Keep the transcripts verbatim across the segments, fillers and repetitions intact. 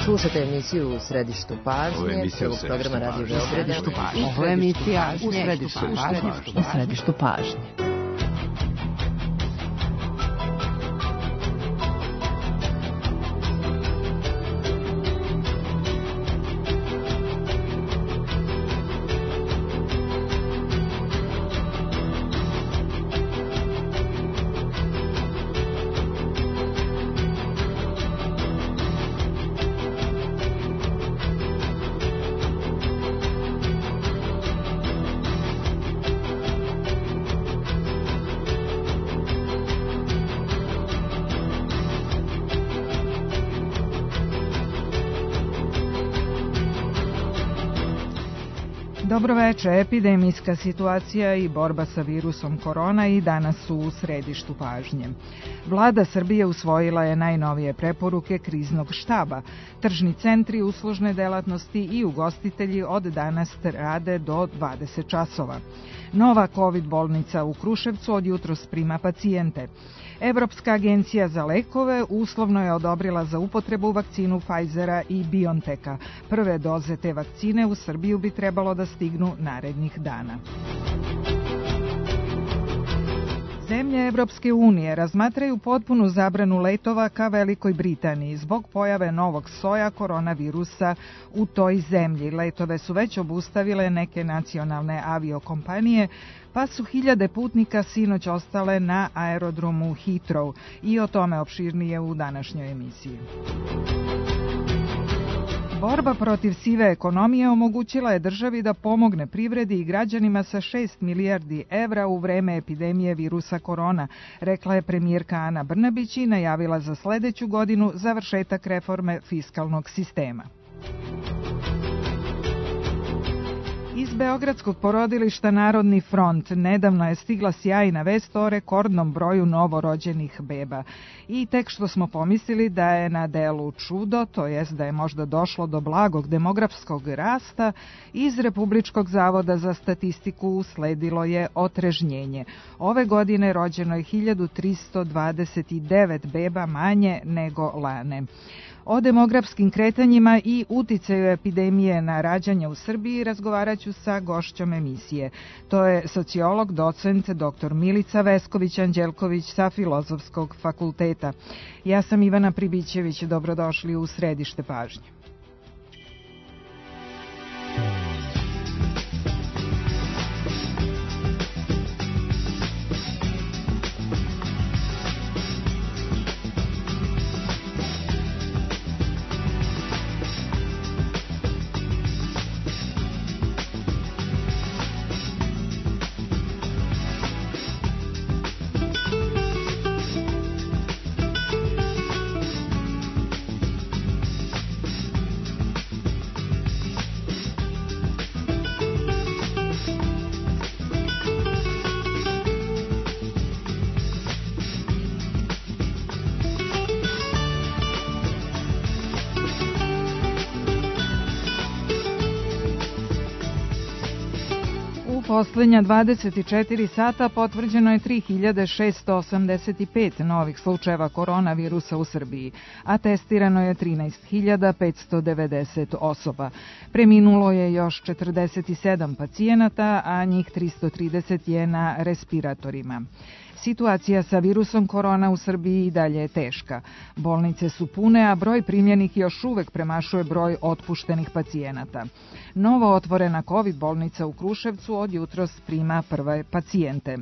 Slušate emisiju U središtu pažnje, prvog programa Radio Beograda. Ovo je emisija U središtu pažnje. U središtu pažnje. Dobroveče, epidemijska situacija i borba sa virusom korona i danas su u središtu pažnje. Vlada Srbije usvojila je najnovije preporuke kriznog štaba. Tržni centri, uslužne delatnosti i ugostitelji od danas rade do dvadeset časova. Nova COVID bolnica u Kruševcu od jutros prima pacijente. Evropska agencija za lekove uslovno je odobrila za upotrebu vakcinu Pfizera i BioNTecha. Prve doze te vakcine u Srbiju bi trebalo da stignu narednih dana. Zemlje Evropske unije razmatraju potpunu zabranu letova ka Velikoj Britaniji zbog pojave novog soja koronavirusa u toj zemlji. Letove su već obustavile neke nacionalne aviokompanije, pa su hiljade putnika sinoć ostale na aerodromu Heathrow. I o tome opširnije u današnjoj emisiji. Borba protiv sive ekonomije omogućila je državi da pomogne privredi i građanima sa šest milijardi evra u vreme epidemije virusa korona, rekla je premijerka Ana Brnabić i najavila za sledeću godinu završetak reforme fiskalnog sistema. Iz beogradskog porodilišta Narodni front nedavno je stigla sjajna vest o rekordnom broju novorođenih beba. I tek što smo pomislili da je na delu čudo, to jest da je možda došlo do blagog demografskog rasta, iz Republičkog zavoda za statistiku usledilo je otrežnjenje. Ove godine rođeno je hiljadu tristo dvadeset devet beba manje nego lane. O demografskim kretanjima i uticaju epidemije na rađanje u Srbiji razgovarat ću sa gošćom emisije. To je sociolog, docent, doktor Milica Vesković-Anđelković sa Filozofskog fakulteta. Ja sam Ivana Pribićević, dobrodošli u središte pažnje. Poslednja dvadeset četiri sata potvrđeno je tri hiljade šesto osamdeset pet novih slučajeva koronavirusa u Srbiji, a testirano je trinaest hiljada petsto devedeset osoba. Preminulo je još četrdeset sedam pacijenata, a njih tristo trideset je na respiratorima. Situacija sa virusom korona u Srbiji i dalje je teška. Bolnice su pune, a broj primljenih još uvek premašuje broj otpuštenih pacijenata. Novo otvorena COVID bolnica u Kruševcu od jutros prima prve pacijente.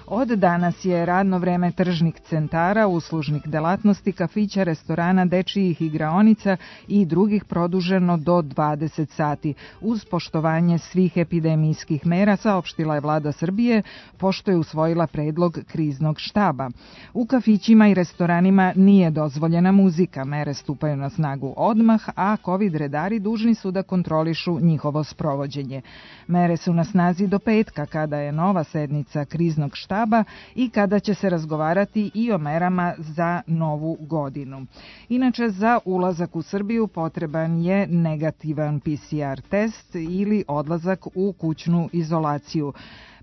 Od danas je radno vreme tržnih centara, uslužnih delatnosti, kafića, restorana, dečijih igraonica i drugih produženo do dvadeset sati, uz poštovanje svih epidemijskih mera, saopštila je vlada Srbije, pošto je usvojila predlog kriznog štaba. U kafićima i restoranima nije dozvoljena muzika, mere stupaju na snagu odmah, a COVID redari dužni su da kontrolišu njihovo sprovođenje. Mere su na snazi do petka, kada je nova sednica kriznog štaba i kada će se razgovarati i o merama za novu godinu. Inače, za ulazak u Srbiju potreban je negativan P C R test ili odlazak u kućnu izolaciju.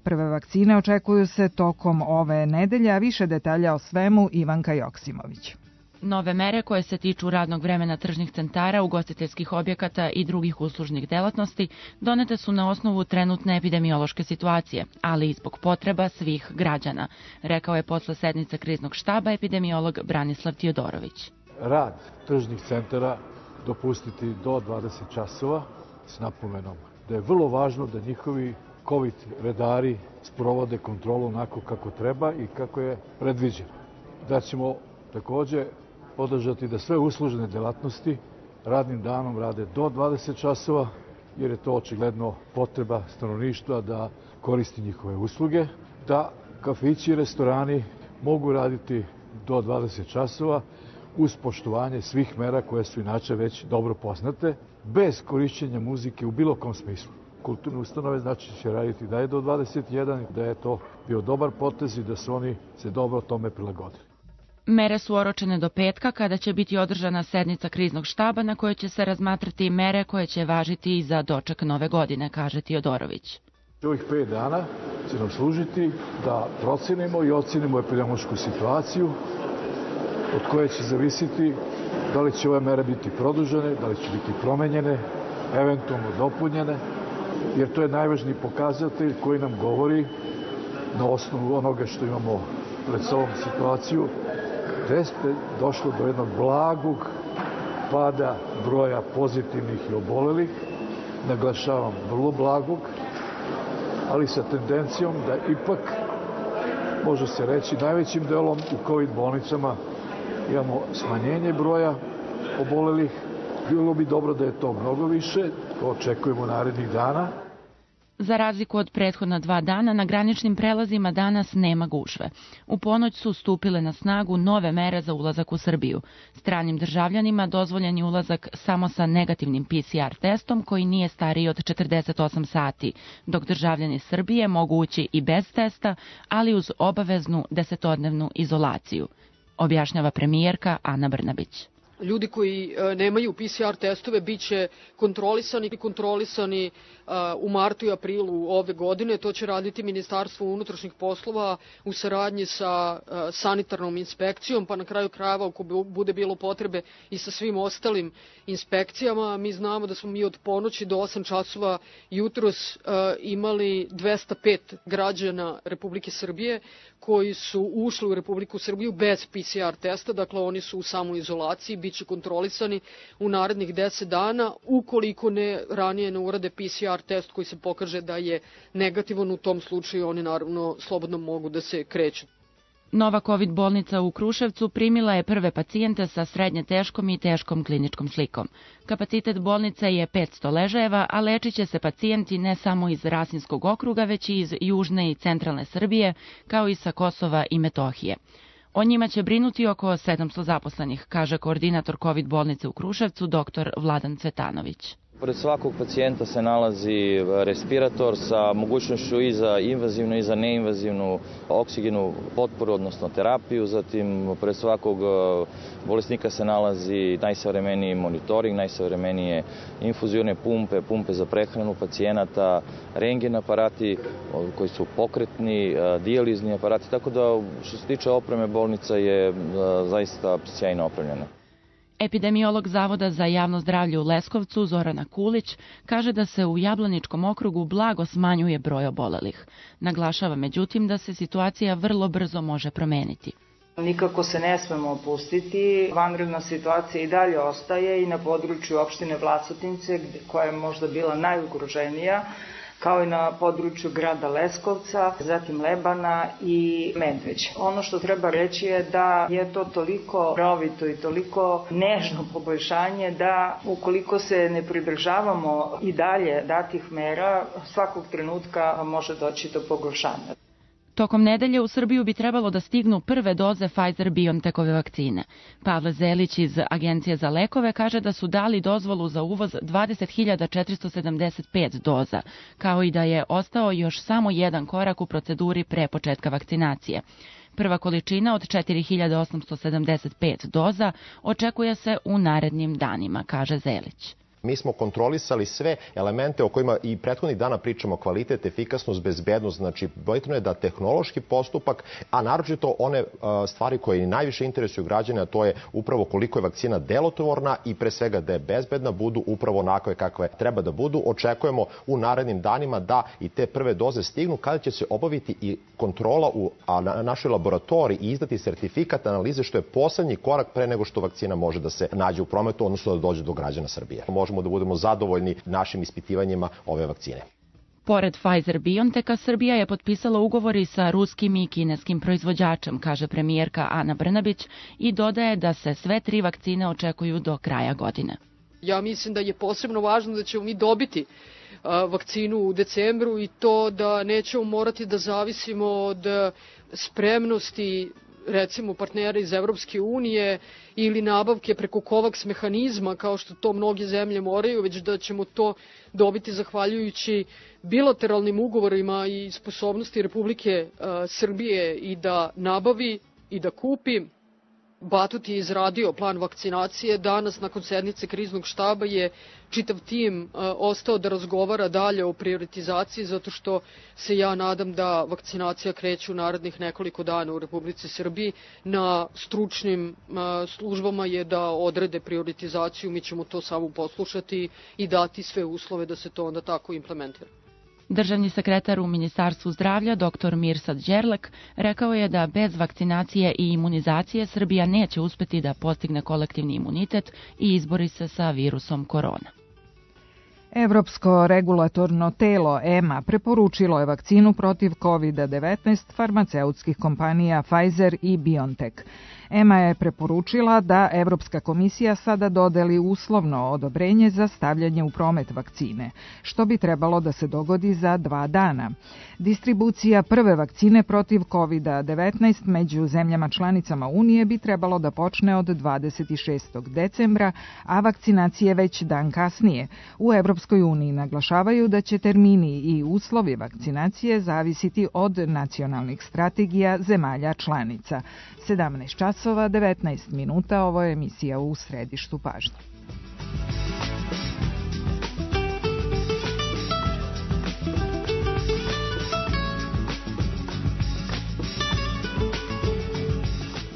Prve vakcine očekuju se tokom ove nedelje, a više detalja o svemu Ivanka Joksimović. Nove mere koje se tiču radnog vremena tržnih centara, ugostiteljskih objekata i drugih uslužnih delatnosti donete su na osnovu trenutne epidemiološke situacije, ali i zbog potreba svih građana, rekao je posle sednice kriznog štaba epidemiolog Branislav Tijodorović. Rad tržnih centara dopustiti do dvadeset časova s napomenom da je vrlo važno da njihovi COVID redari sprovode kontrolu onako kako treba i kako je predviđeno. Da ćemo takođe podržati da sve uslužne delatnosti radnim danom rade do dvadeset časova, jer je to očigledno potreba stanovništva da koristi njihove usluge, da kafići i restorani mogu raditi do dvadeset časova uz poštovanje svih mera koje su inače već dobro poznate, bez korišćenja muzike u bilo kom smislu. Kulturne ustanove znači će raditi da je do dvadeset jedan, da je to bio dobar potez i da su oni se dobro tome prilagodili. Mere su oročene do petka, kada će biti održana sednica kriznog štaba na kojoj će se razmatrati mere koje će važiti i za doček nove godine, kaže Tijodorović. Ovih pet dana će nam služiti da procenimo i ocenimo epidemiološku situaciju od koje će zavisiti da li će ove mere biti produžene, da li će biti promenjene, eventualno dopunjene, jer to je najvažniji pokazatelj koji nam govori na osnovu onoga što imamo pred sobom situaciju, da je došlo do jednog blagog pada broja pozitivnih i obolelih, naglašavam vrlo blagog, ali sa tendencijom da ipak, može se reći, najvećim delom u COVID bolnicama imamo smanjenje broja obolelih. Bilo bi dobro da je to mnogo više, to očekujemo narednih dana. Za razliku od prethodna dva dana, na graničnim prelazima danas nema gužve. U ponoć su stupile na snagu nove mere za ulazak u Srbiju. Stranim državljanima dozvoljen je ulazak samo sa negativnim P C R testom koji nije stariji od četrdeset osam sati, dok državljani Srbije mogu ući i bez testa, ali uz obaveznu desetodnevnu izolaciju, objašnjava premijerka Ana Brnabić. Ljudi koji nemaju P C R testove biće kontrolisani i kontrolisani u martu i aprilu ove godine. To će raditi Ministarstvo unutrašnjih poslova u saradnji sa sanitarnom inspekcijom, pa na kraju krajeva, ako bude bilo potrebe, i sa svim ostalim inspekcijama. Mi znamo da smo mi od ponoći do osam časova jutros imali dvesta pet građana Republike Srbije koji su ušli u Republiku Srbiju bez P C R testa, dakle oni su u samoizolaciji, bit će kontrolisani u narednih deset dana. Ukoliko ne ranije ne urade P C R test koji se pokaže da je negativan, u tom slučaju oni naravno slobodno mogu da se kreću. Nova COVID bolnica u Kruševcu primila je prve pacijente sa srednje teškom i teškom kliničkom slikom. Kapacitet bolnice je petsto ležajeva, a lečit će se pacijenti ne samo iz Rasinskog okruga, već i iz južne i centralne Srbije, kao i sa Kosova i Metohije. O njima će brinuti oko sedamsto zaposlenih, kaže koordinator COVID bolnice u Kruševcu, dr Vladan Cvetanović. Pored svakog pacijenta se nalazi respirator sa mogućnošću i za invazivnu i za neinvazivnu oksigenu potporu, odnosno terapiju. Zatim, pored svakog bolesnika se nalazi najsavremeniji monitoring, najsavremenije infuzione pumpe, pumpe za prehranu pacijenata, rentgen aparati koji su pokretni, dijalizni aparati. Tako da, što se tiče opreme, bolnica je zaista sjajno opremljena. Epidemiolog Zavoda za javno zdravlje u Leskovcu, Zorana Kulić, kaže da se u Jablaničkom okrugu blago smanjuje broj obolelih. Naglašava međutim da se situacija vrlo brzo može promeniti. Nikako se ne smemo opustiti, vanredna situacija i dalje ostaje i na području opštine Vlasotince, koja je možda bila najugroženija, kao i na području grada Leskovca, zatim Lebana i Medveđe. Ono što treba reći je da je to toliko rovito i toliko nežno poboljšanje da ukoliko se ne pridržavamo i dalje datih mera, svakog trenutka može doći do pogoršanja. Tokom nedelje u Srbiju bi trebalo da stignu prve doze Pfizer-BioNTechove vakcine. Pavle Zelić iz Agencije za lekove kaže da su dali dozvolu za uvoz dvadeset hiljada četiristo sedamdeset pet doza, kao i da je ostao još samo jedan korak u proceduri pre početka vakcinacije. Prva količina od četiri hiljade osamsto sedamdeset pet doza očekuje se u narednim danima, kaže Zelić. Mi smo kontrolisali sve elemente o kojima i prethodnih dana pričamo, kvalitet, efikasnost, bezbednost. Znači, bitno je da tehnološki postupak, a naročito one stvari koje najviše interesuju građane, a to je upravo koliko je vakcina delotvorna i pre svega da je bezbedna, budu upravo onakve kakve treba da budu. Očekujemo u narednim danima da i te prve doze stignu, kada će se obaviti i kontrola u našoj laboratoriji i izdati sertifikat analize, što je poslednji korak pre nego što vakcina može da se nađe u prometu, odnosno da dođe do građana Srbije. Možemo da budemo zadovoljni našim ispitivanjima ove vakcine. Pored Pfizer-BioNTecha, Srbija je potpisala ugovori sa ruskim i kineskim proizvođačem, kaže premijerka Ana Brnabić, i dodaje da se sve tri vakcine očekuju do kraja godine. Ja mislim da je posebno važno da ćemo mi dobiti vakcinu u decembru i to da nećemo morati da zavisimo od spremnosti recimo partnera iz Evropske unije ili nabavke preko COVAX mehanizma kao što to mnoge zemlje moraju, već da ćemo to dobiti zahvaljujući bilateralnim ugovorima i sposobnosti Republike Srbije i da nabavi i da kupi. Batut je izradio plan vakcinacije. Danas, nakon sednice kriznog štaba, je čitav tim ostao da razgovara dalje o prioritizaciji, zato što se ja nadam da vakcinacija kreće u narednih nekoliko dana u Republici Srbiji. Na stručnim službama je da odrede prioritizaciju, mi ćemo to samo poslušati i dati sve uslove da se to onda tako implementira. Državni sekretar u Ministarstvu zdravlja, doktor Mirsad Đerlek, rekao je da bez vakcinacije i imunizacije Srbija neće uspeti da postigne kolektivni imunitet i izbori se sa virusom korona. Evropsko regulatorno telo E M A preporučilo je vakcinu protiv kovid devetnaest farmaceutskih kompanija Pfizer i BioNTech. E M A je preporučila da Evropska komisija sada dodeli uslovno odobrenje za stavljanje u promet vakcine, što bi trebalo da se dogodi za dva dana. Distribucija prve vakcine protiv kovid devetnaest među zemljama članicama Unije bi trebalo da počne od dvadeset šestog decembra, a vakcinacije već dan kasnije. U Evropskoj uniji naglašavaju da će termini i uslovi vakcinacije zavisiti od nacionalnih strategija zemalja članica. sedamnaest časova devetnaest minuta, ovo je emisija U središtu pažnje.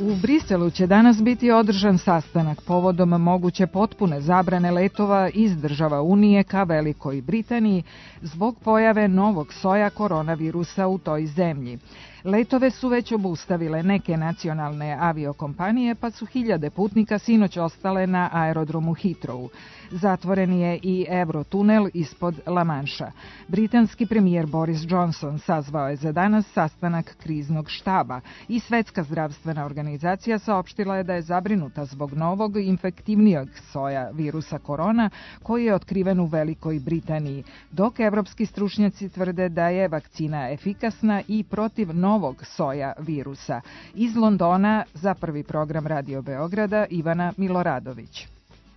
U Briselu će danas biti održan sastanak povodom moguće potpune zabrane letova iz država Unije ka Velikoj Britaniji zbog pojave novog soja koronavirusa u toj zemlji. Letove su već obustavile neke nacionalne aviokompanije, pa su hiljade putnika sinoć ostale na aerodromu Heathrow. Zatvoren je i Eurotunel ispod La Manša. Britanski premijer Boris Johnson sazvao je za danas sastanak kriznog štaba i Svetska zdravstvena organizacija saopštila je da je zabrinuta zbog novog infektivnijeg soja virusa korona koji je otkriven u Velikoj Britaniji, dok evropski stručnjaci tvrde da je vakcina efikasna i protiv novog soja virusa. Iz Londona za Prvi program Radio Beograda Ivana Miloradović.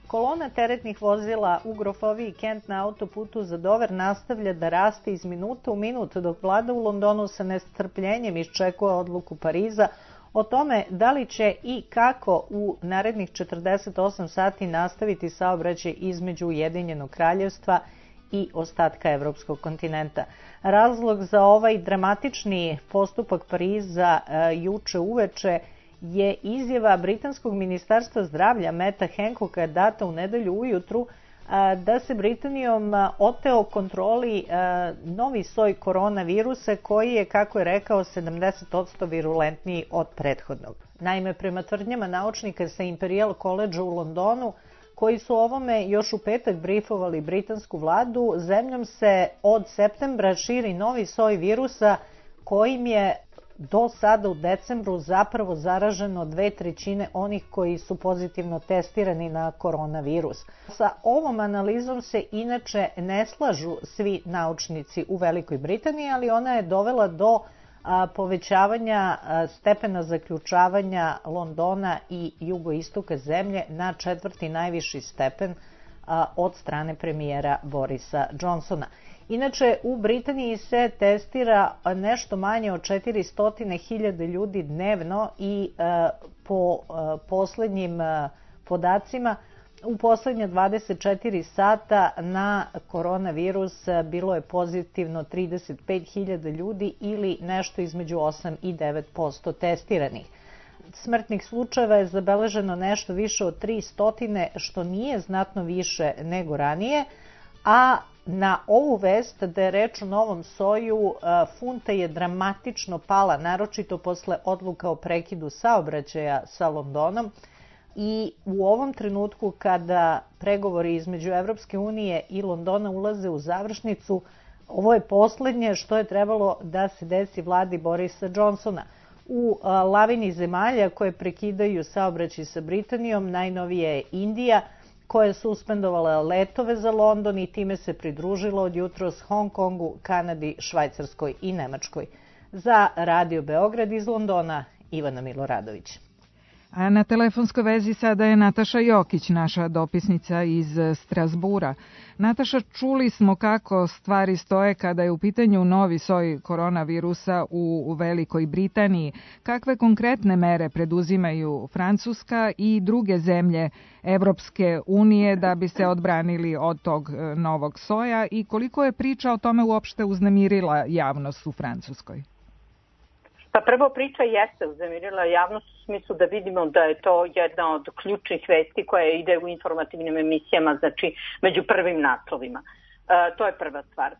Kolona teretnih vozila u Grofovi i Kent na autoputu za Dover nastavlja da raste iz minuta u minut, dok vlada u Londonu sa nestrpljenjem iščekuje odluku Pariza o tome da li će i kako u narednih četrdeset osam sati nastaviti saobraćaj između Ujedinjenog kraljevstva i ostatka evropskog kontinenta. Razlog za ovaj dramatični postupak Pariza juče uveče je izjava britanskog ministarstva zdravlja Meta Hancocka data u nedelju ujutru da se Britanijom oteo kontroli novi soj koronavirusa koji je, kako je rekao, sedamdeset posto virulentniji od prethodnog. Naime, prema tvrdnjama naučnika sa Imperial College u Londonu, koji su ovome još u petak brifovali britansku vladu, zemljom se od septembra širi novi soj virusa kojim je do sada u decembru zapravo zaraženo dve trećine onih koji su pozitivno testirani na koronavirus. Sa ovom analizom se inače ne slažu svi naučnici u Velikoj Britaniji, ali ona je dovela do povećavanja stepena zaključavanja Londona i jugoistoka zemlje na četvrti najviši stepen od strane premijera Borisa Johnsona. Inače, u Britaniji se testira nešto manje od četiristo hiljada ljudi dnevno i po poslednjim podacima U poslednje dvadeset četiri sata na koronavirus bilo je pozitivno trideset pet hiljada ljudi ili nešto između osam i devet posto testiranih. Smrtnih slučajeva je zabeleženo nešto više od tristo, što nije znatno više nego ranije, a na ovu vest da je reč o novom soju, funta je dramatično pala, naročito posle odluka o prekidu saobraćaja sa Londonom. I u ovom trenutku kada pregovori između Evropske unije i Londona ulaze u završnicu, ovo je poslednje što je trebalo da se desi vladi Borisa Johnsona. U lavini zemalja koje prekidaju saobraćaj sa Britanijom, najnovija je Indija, koja je suspendovala letove za London i time se pridružila od jutros Hong Kongu, Kanadi, Švajcarskoj i Nemačkoj. Za Radio Beograd iz Londona, Ivana Miloradović. A na telefonskoj vezi sada je Nataša Jokić, naša dopisnica iz Strazbura. Nataša, čuli smo kako stvari stoje kada je u pitanju novi soj koronavirusa u Velikoj Britaniji. Kakve konkretne mere preduzimaju Francuska i druge zemlje Evropske unije da bi se odbranili od tog novog soja i koliko je priča o tome uopšte uznemirila javnost u Francuskoj? Pa prvo priča jeste uznemirila javnost u smislu da vidimo da je to jedna od ključnih vesti koja ide u informativnim emisijama, znači među prvim naslovima. E, to je prva stvar. E,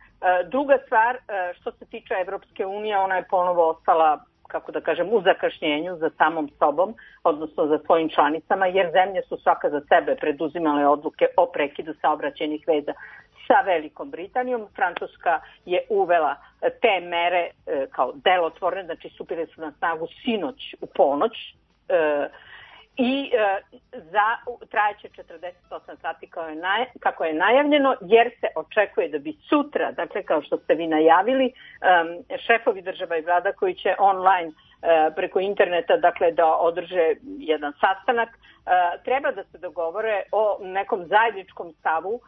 druga stvar, e, što se tiče Evropske unije, ona je ponovo ostala, kako da kažem, u zakašnjenju za samom sobom, odnosno za svojim članicama, jer zemlje su svaka za sebe preduzimale odluke o prekidu saobraćajnih veza sa Velikom Britanijom. Francuska je uvela te mere e, kao delotvorne, znači stupile su na snagu sinoć u ponoć e, i e, za trajeće četrdeset osam sati kao je naj, kako je najavljeno, jer se očekuje da bi sutra, dakle kao što ste vi najavili, e, šefovi država i vlada koji će online e, preko interneta, dakle da održe jedan sastanak, e, treba da se dogovore o nekom zajedničkom stavu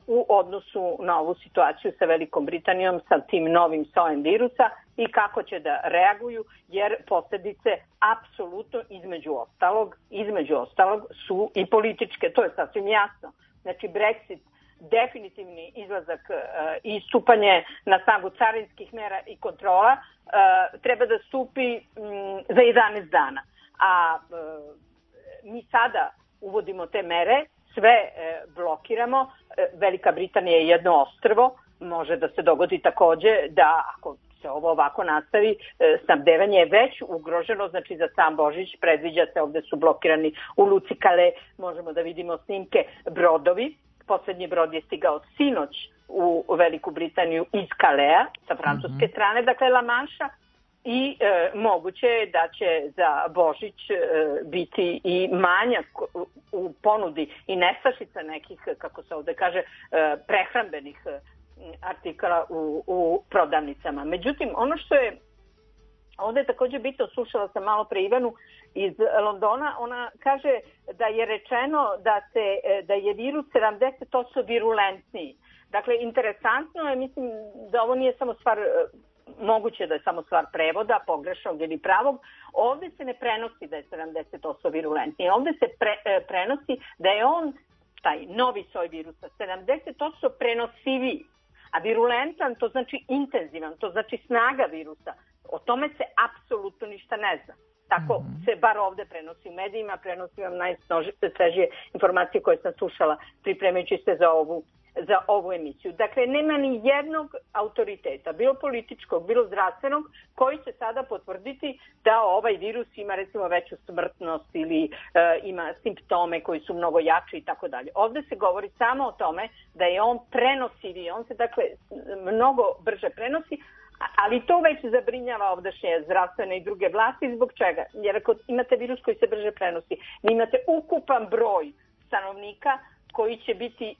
u odnosu na ovu situaciju sa Velikom Britanijom, sa tim novim sojem virusa i kako će da reaguju, jer posljedice apsolutno između ostalog, između ostalog su i političke, to je sasvim jasno. Znači Brexit, definitivni izlazak i stupanje na snagu carinskih mera i kontrola treba da stupi za jedanaest dana. A mi sada uvodimo te mere, sve e, blokiramo. E, Velika Britanija je jedno ostrvo, može da se dogodi takođe da ako se ovo ovako nastavi, e, snabdevanje je već ugroženo, znači za sam Božić predviđa se, ovde su blokirani u Luci Calais, možemo da vidimo snimke, brodovi. Poslednji brod je stigao sinoć u Veliku Britaniju iz Calais sa francuske mm-hmm. strane, dakle La Manša. I e, moguće je da će za Božić e, biti i manjak u, u ponudi i nestašica nekih, kako se ovde kaže, e, prehrambenih e, artikala u, u prodavnicama. Međutim, ono što je ovde takođe bitno, slušala sam malo pre Ivanu iz Londona, ona kaže da je rečeno da, se, da je virus sedamdeset posto virulentniji. Dakle, interesantno je, mislim da ovo nije samo stvar... moguće da je samo stvar prevoda, pogrešnog ili pravog, ovde se ne prenosi da je sedamdeset posto virulentniji. Ovde se pre, e, prenosi da je on, taj novi soj virusa, sedamdeset posto prenosiviji. A virulentan, to znači intenzivan, to znači snaga virusa. O tome se apsolutno ništa ne zna. Tako mm-hmm. se bar ovde prenosi u medijima, prenosi vam najsvežije informacije koje sam slušala pripremajući se za ovu za ovu emisiju. Dakle, nema ni jednog autoriteta, bilo političkog, bilo zdravstvenog, koji će sada potvrditi da ovaj virus ima recimo veću smrtnost ili e, ima simptome koji su mnogo jači i tako dalje. Ovde se govori samo o tome da je on prenosivi, on se dakle mnogo brže prenosi, ali to već zabrinjava ovdašnje zdravstvene i druge vlasti. Zbog čega? Jer ako imate virus koji se brže prenosi, imate ukupan broj stanovnika koji će biti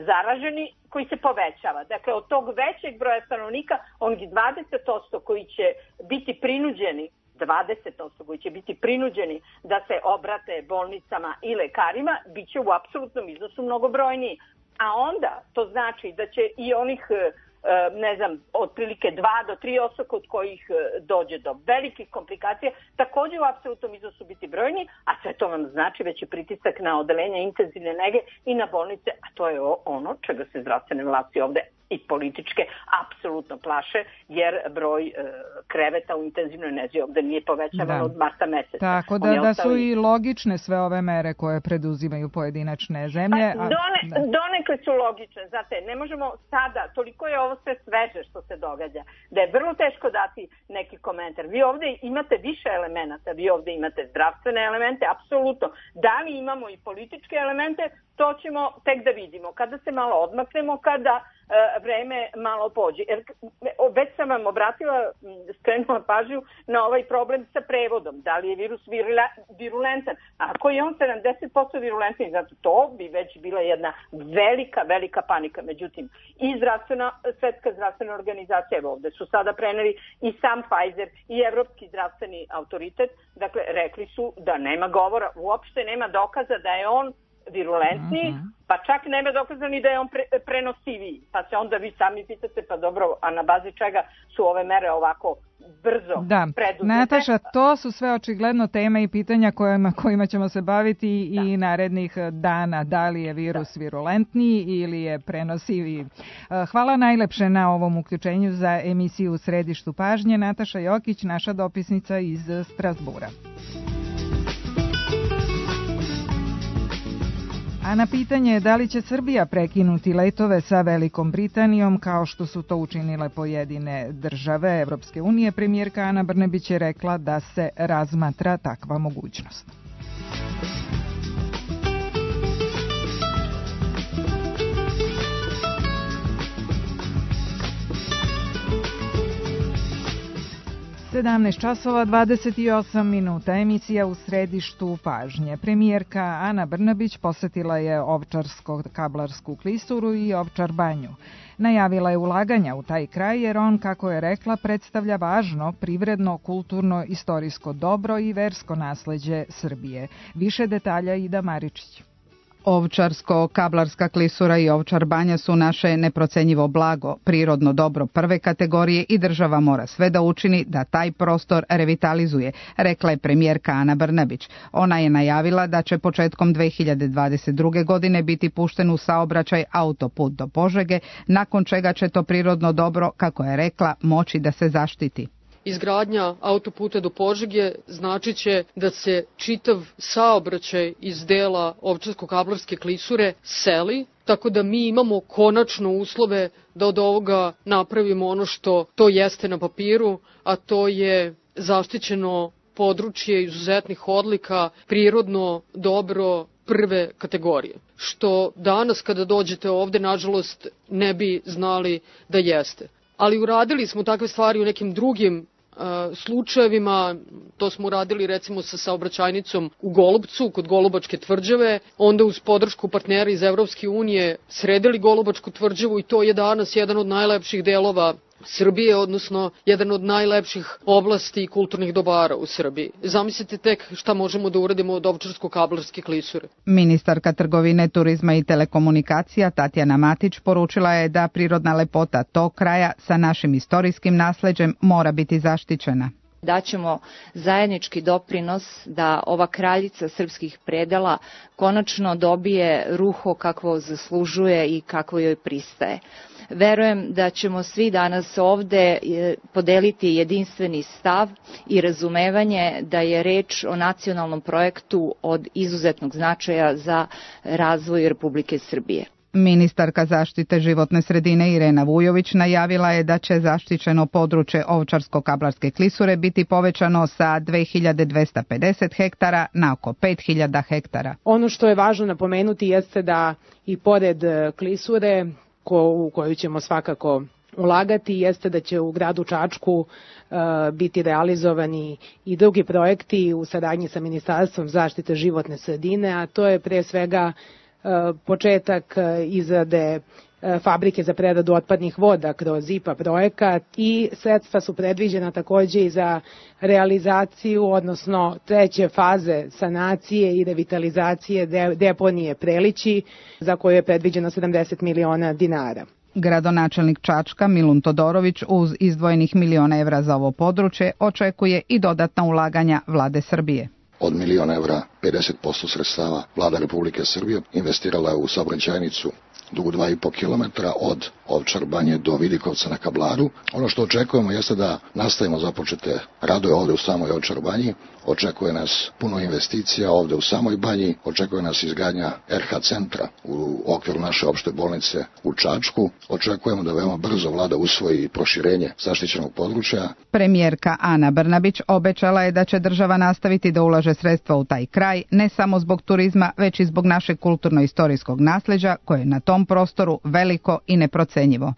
zaraženi, koji se povećava. Dakle, od tog većeg broja stanovnika, onih dvadeset posto koji će biti prinuđeni, dvadeset posto koji će biti prinuđeni da se obrate bolnicama i lekarima, bit će u apsolutnom iznosu mnogobrojniji. A onda to znači da će i onih ne znam, otprilike dva do tri osobe kod kojih dođe do velikih komplikacija, takođe u apsolutnom iznosu biti brojni, a sve to vam znači veći pritisak na odeljenja intenzivne nege i na bolnice, a to je ono čega se zdravstvene vlasti ovde i političke apsolutno plaše, jer broj e, kreveta u intenzivnoj nezi ovde nije povećavan da. od marta meseca. Tako da, da su i logične sve ove mere koje preduzimaju pojedinačne zemlje. A, done, da. Donekle su logične, znate, ne možemo sada, toliko je ovo sve sveže što se događa, da je vrlo teško dati neki komentar. Vi ovde imate više elemenata, vi ovde imate zdravstvene elemente, apsolutno. Da li imamo i političke elemente, to ćemo tek da vidimo. Kada se malo odmaknemo, kada e, vreme malo pođe. Jer, već sam vam obratila, skrenula pažnju na ovaj problem sa prevodom. Da li je virus virula, virulentan? Ako je on sedamdeset posto virulentan, zato to bi već bila jedna velika, velika panika. Međutim, i zdravstvena, Svetska zdravstvena organizacija, evo ovde su sada preneli i sam Pfizer i Evropski zdravstveni autoritet, dakle, rekli su da nema govora, uopšte nema dokaza da je on virulentni, mm-hmm. pa čak nema dokaza ni da je on pre, prenosiviji. Pa se onda vi sami pitate, pa dobro, a na bazi čega su ove mere ovako brzo da. preduzete? Nataša, to su sve očigledno teme i pitanja kojima, kojima ćemo se baviti da. i narednih dana. Da li je virus da. virulentniji ili je prenosiviji? Hvala najlepše na ovom uključenju za emisiju U središtu pažnje. Nataša Jokić, naša dopisnica iz Strazbura. A na pitanje da li će Srbija prekinuti letove sa Velikom Britanijom kao što su to učinile pojedine države Evropske unije, premijerka Ana Brnabić je rekla da se razmatra takva mogućnost. sedamnaest časova dvadeset osam minuta, emisija U središtu pažnje. Premijerka Ana Brnabić posetila je Ovčarsko-Kablarsku klisuru i Ovčar banju. Najavila je ulaganja u taj kraj jer on, kako je rekla, predstavlja važno privredno, kulturno, istorijsko dobro i versko nasleđe Srbije. Više detalja Ida Maričić. Ovčarsko-Kablarska klisura i Ovčar banja su naše neprocenjivo blago, prirodno dobro prve kategorije i država mora sve da učini da taj prostor revitalizuje, rekla je premijerka Ana Brnabić. Ona je najavila da će početkom dve hiljade dvadeset druge. godine biti pušten u saobraćaj autoput do Požege, nakon čega će to prirodno dobro, kako je rekla, moći da se zaštiti. Izgradnja autoputa do Požege znači će da se čitav saobraćaj iz dela Ovčarsko-Kablarske klisure seli, tako da mi imamo konačno uslove da od ovoga napravimo ono što to jeste na papiru, a to je zaštićeno područje izuzetnih odlika, prirodno dobro prve kategorije, što danas kada dođete ovde, nažalost, ne bi znali da jeste. Ali uradili smo takve stvari u nekim drugim Uh, slučajevima, to smo uradili recimo sa saobraćajnicom u Golubcu kod Golubačke tvrđave, onda uz podršku partnera iz Evropske unije sredili Golubačku tvrđavu i to je danas jedan od najlepših delova Srbije, odnosno jedan od najlepših oblasti kulturnih dobara u Srbiji. Zamislite tek šta možemo da uradimo od Ovčarsko-Kablarske klisure. Ministarka trgovine, turizma i telekomunikacija Tatjana Matić poručila je da prirodna lepota tog kraja sa našim istorijskim nasleđem mora biti zaštićena. Daćemo zajednički doprinos da ova kraljica srpskih predela konačno dobije ruho kakvo zaslužuje i kakvo joj pristaje. Verujem da ćemo svi danas ovde podeliti jedinstveni stav i razumevanje da je reč o nacionalnom projektu od izuzetnog značaja za razvoj Republike Srbije. Ministarka zaštite životne sredine Irena Vujović najavila je da će zaštićeno područje Ovčarsko-Kablarske klisure biti povećano sa dve hiljade dvesta pedeset hektara na oko pet hiljada hektara. Ono što je važno napomenuti jeste da i pored klisure, ko, u koju ćemo svakako ulagati, jeste da će u gradu Čačku uh, biti realizovani i drugi projekti u saradnji sa Ministarstvom zaštite životne sredine, a to je pre svega početak izrade fabrike za preradu otpadnih voda kroz I P A projekat i sredstva su predviđena takođe i za realizaciju, odnosno treće faze sanacije i revitalizacije deponije Prelići, za koju je predviđeno sedamdeset miliona dinara. Gradonačelnik Čačka Milun Todorović uz izdvojenih miliona evra za ovo područje očekuje i dodatna ulaganja vlade Srbije. Od miliona evra pedeset posto sredstava vlada Republike Srbije investirala je u saobraćajnicu dugu dva i po kilometra od Ovčar Banje do Vidikovca na Kablaru. Ono što očekujemo jeste da nastavimo započete radove ovde u samoj Ovčar Banji. Očekuje nas puno investicija ovde u samoj Banji, očekuje nas izgradnja er ha centra u okviru naše opšte bolnice u Čačku. Očekujemo da veoma brzo vlada usvoji proširenje zaštićenog područja. Premijerka Ana Brnabić obećala je da će država nastaviti da ulaže sredstva u taj kraj, ne samo zbog turizma, već i zbog našeg kulturno-istorijskog nasleđa koje je na tom prostoru veliko i neprocenjivo.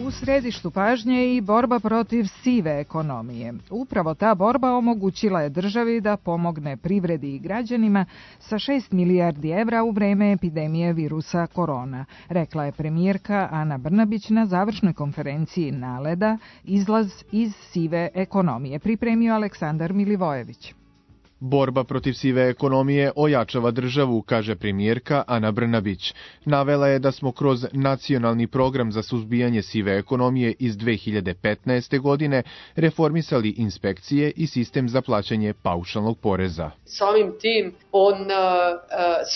U središtu pažnje je i borba protiv sive ekonomije. Upravo ta borba omogućila je državi da pomogne privredi i građanima sa šest milijardi evra u vreme epidemije virusa korona, rekla je premijerka Ana Brnabić na završnoj konferenciji NALED-a Izlaz iz sive ekonomije, pripremio Aleksandar Milivojević. Borba protiv sive ekonomije ojačava državu, kaže premijerka Ana Brnabić. Navela je da smo kroz nacionalni program za suzbijanje sive ekonomije iz dve hiljade petnaeste. godine reformisali inspekcije i sistem za plaćanje paušalnog poreza. Samim tim on uh,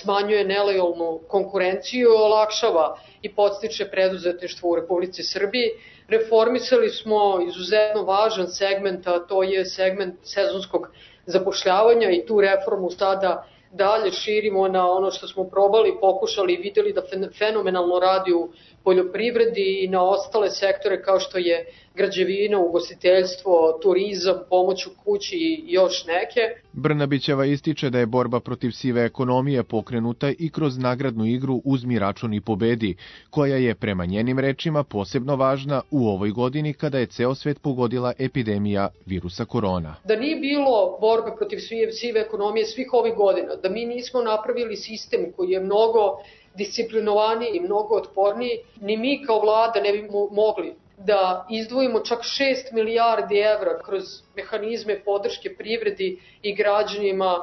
smanjuje nelojalnu konkurenciju, olakšava i podstiče preduzetništvo u Republici Srbiji. Reformisali smo izuzetno važan segment, a to je segment sezonskog zapošljavanja i tu reformu sada dalje širimo na ono što smo probali, pokušali i videli da fenomenalno radi u poljoprivredi i na ostale sektore kao što je građevina, ugostiteljstvo, turizam, pomoć u kući i još neke. Brnabićeva ističe da je borba protiv sive ekonomije pokrenuta i kroz nagradnu igru Uzmi račun i pobedi, koja je prema njenim rečima posebno važna u ovoj godini kada je ceo svet pogodila epidemija virusa korona. Da nije bilo borbe protiv sive ekonomije svih ovih godina, da mi nismo napravili sistem koji je mnogo disciplinovaniji i mnogo otporniji, ni mi kao vlada ne bi mogli da izdvojimo čak šest milijardi evra kroz mehanizme podrške privredi i građanima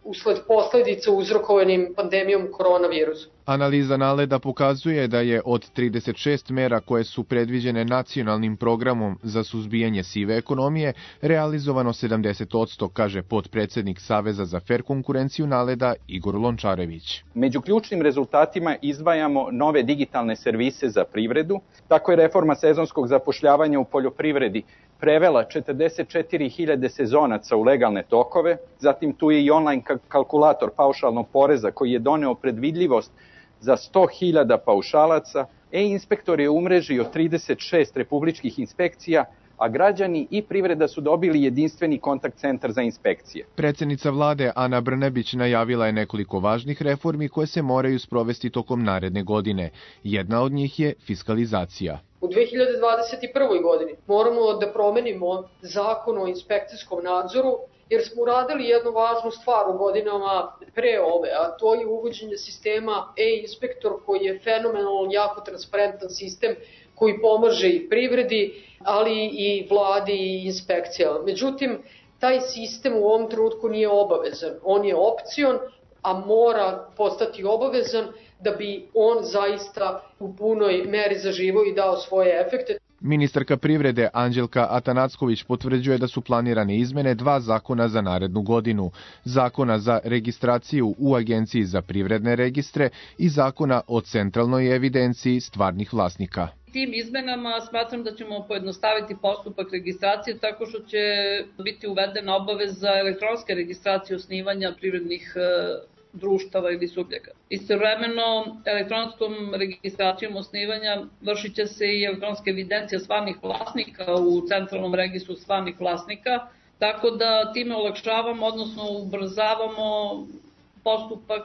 usled posledica uzrokovanim pandemijom koronavirusa. Analiza NALED-a pokazuje da je od trideset šest mera koje su predviđene nacionalnim programom za suzbijanje sive ekonomije realizovano sedamdeset posto, kaže potpredsednik Saveza za fer konkurenciju NALED-a Igor Lončarević. Među ključnim rezultatima izdvajamo nove digitalne servise za privredu. Tako je reforma sezonskog zapošljavanja u poljoprivredi prevela četrdeset četiri hiljade sezonaca u legalne tokove, zatim tu je i online kalkulator paušalnog poreza koji je doneo predvidljivost za sto hiljada paušalaca, e-inspektor je umrežio trideset šest republičkih inspekcija, a građani i privreda su dobili jedinstveni kontakt centar za inspekcije. Predsednica vlade Ana Brnabić najavila je nekoliko važnih reformi koje se moraju sprovesti tokom naredne godine. Jedna od njih je fiskalizacija. U dve hiljade dvadeset prvoj. godini moramo da promenimo zakon o inspekcijskom nadzoru, jer smo uradili jednu važnu stvar u godinama pre ove, a to je uvođenje sistema e-inspektor koji je fenomenalno jako transparentan sistem koji pomaže i privredi, ali i vladi i inspekcijama. Međutim, taj sistem u ovom trenutku nije obavezan. On je opcion, a mora postati obavezan da bi on zaista u punoj meri zaživao i dao svoje efekte. Ministarka privrede Anđelka Atanacković potvrđuje da su planirane izmene dva zakona za narednu godinu. Zakona za registraciju u Agenciji za privredne registre i zakona o centralnoj evidenciji stvarnih vlasnika. Tim izmenama smatram da ćemo pojednostaviti postupak registracije tako što će biti uvedena obaveza elektronske registracije osnivanja privrednih društava ili subjekata. Istovremeno, elektronskom registracijom osnivanja vršit će se i elektronska evidencija stvarnih vlasnika u centralnom registru stvarnih vlasnika, tako da time olakšavamo, odnosno ubrzavamo postupak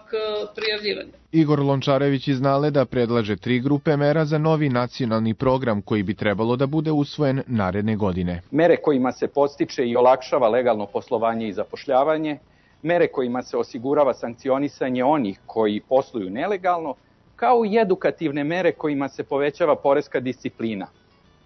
prijavljivanja. Igor Lončarević iz NALED-a predlaže tri grupe mera za novi nacionalni program koji bi trebalo da bude usvojen naredne godine. Mere kojima se podstiče i olakšava legalno poslovanje i zapošljavanje, mere kojima se osigurava sankcionisanje onih koji posluju nelegalno, kao i edukativne mere kojima se povećava poreska disciplina,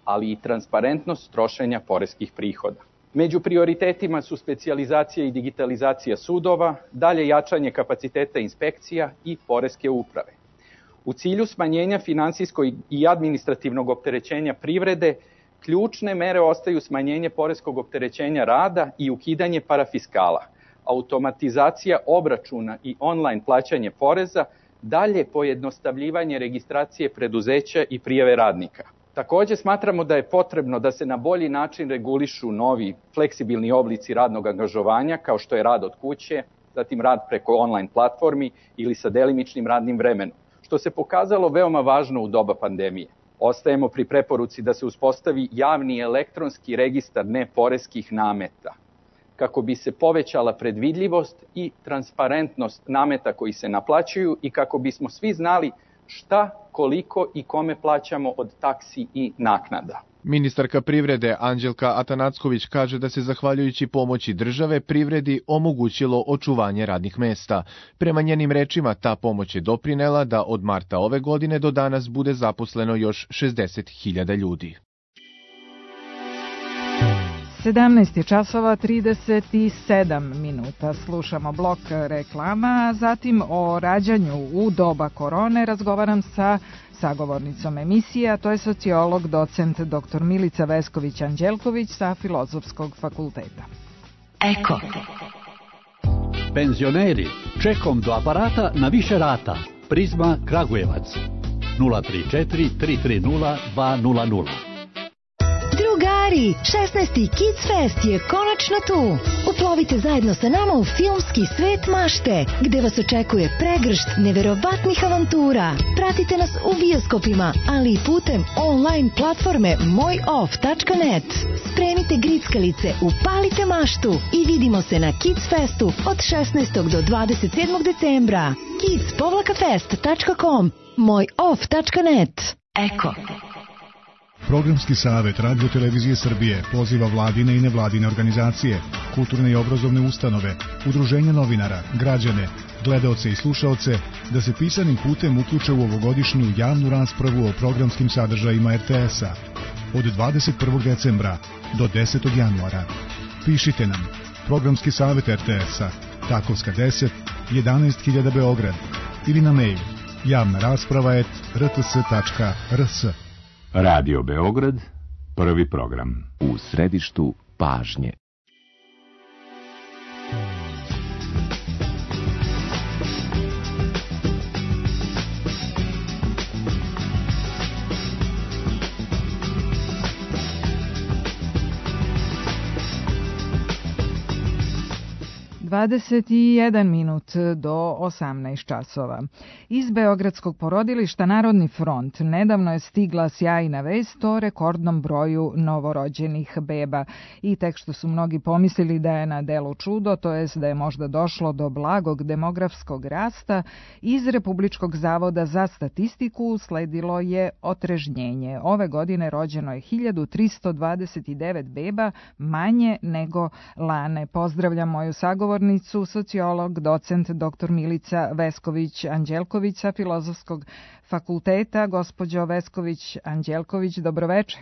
ali i transparentnost trošenja poreskih prihoda. Među prioritetima su specijalizacija i digitalizacija sudova, dalje jačanje kapaciteta inspekcija i poreske uprave. U cilju smanjenja finansijskog i administrativnog opterećenja privrede, ključne mere ostaju smanjenje poreskog opterećenja rada i ukidanje parafiskala, automatizacija obračuna i online plaćanje poreza, dalje pojednostavljivanje registracije preduzeća i prijave radnika. Takođe smatramo da je potrebno da se na bolji način regulišu novi fleksibilni oblici radnog angažovanja kao što je rad od kuće, zatim rad preko online platformi ili sa delimičnim radnim vremenom, što se pokazalo veoma važno u doba pandemije. Ostajemo pri preporuci da se uspostavi javni elektronski registar neporeskih nameta, kako bi se povećala predvidljivost i transparentnost nameta koji se naplaćuju i kako bismo svi znali šta, koliko i kome plaćamo od taksi i naknada. Ministarka privrede Anđelka Atanacković kaže da se zahvaljujući pomoći države privredi omogućilo očuvanje radnih mesta. Prema njenim rečima ta pomoć je doprinela da od marta ove godine do danas bude zaposleno još šezdeset hiljada ljudi. sedamnaest časova trideset sedam minuta. Slušamo blok reklama, a zatim o rađanju u doba korone razgovaram sa sagovornicom emisije, a to je sociolog, docent doktor Milica Vesković-Anđelković sa Filozofskog fakulteta. Eko. Penzioneri, čekom do aparata na više rata. Prizma Kragujevac. nula tri četiri tri tri nula dva nula nula. Drugari, šesnaesti Kids Fest je konačno tu. Uplovite zajedno sa nama u filmski svet mašte, gde vas očekuje pregršt neverovatnih avantura. Pratite nas u bioskopima, ali i putem online platforme moj off tačka net. Spremite grickalice, upalite maštu i vidimo se na Kids Festu od šesnaestog do dvadeset sedmog decembra. kids fest tačka com, moj off tačka net. Eko. Programski savet Radio Televizije Srbije poziva vladine i nevladine organizacije, kulturne i obrazovne ustanove, udruženja novinara, građane, gledaoce i slušaoce da se pisanim putem uključe u ovogodišnju javnu raspravu o programskim sadržajima er te es-a od dvadeset prvog decembra do desetog januara. Pišite nam Programski savet er te es-a, Takovska deset, jedanaest hiljada Beograd ili na mail javna rasprava et er te es tačka er es. Radio Beograd, prvi program. U središtu pažnje. dvadeset jedan minut do osamnaest časova. Iz beogradskog porodilišta Narodni front nedavno je stigla sjajna vest o rekordnom broju novorođenih beba. I tek što su mnogi pomislili da je na delu čudo, to jest da je možda došlo do blagog demografskog rasta, iz Republičkog zavoda za statistiku usledilo je otrežnjenje. Ove godine rođeno je hiljadu tristo dvadeset devet beba, manje nego lane. Pozdravljam moju sagovornicu, sociolog, docent doktor Milica Vesković-Anđelković sa Filozofskog fakulteta. Gospođo Vesković-Anđelković, dobroveče.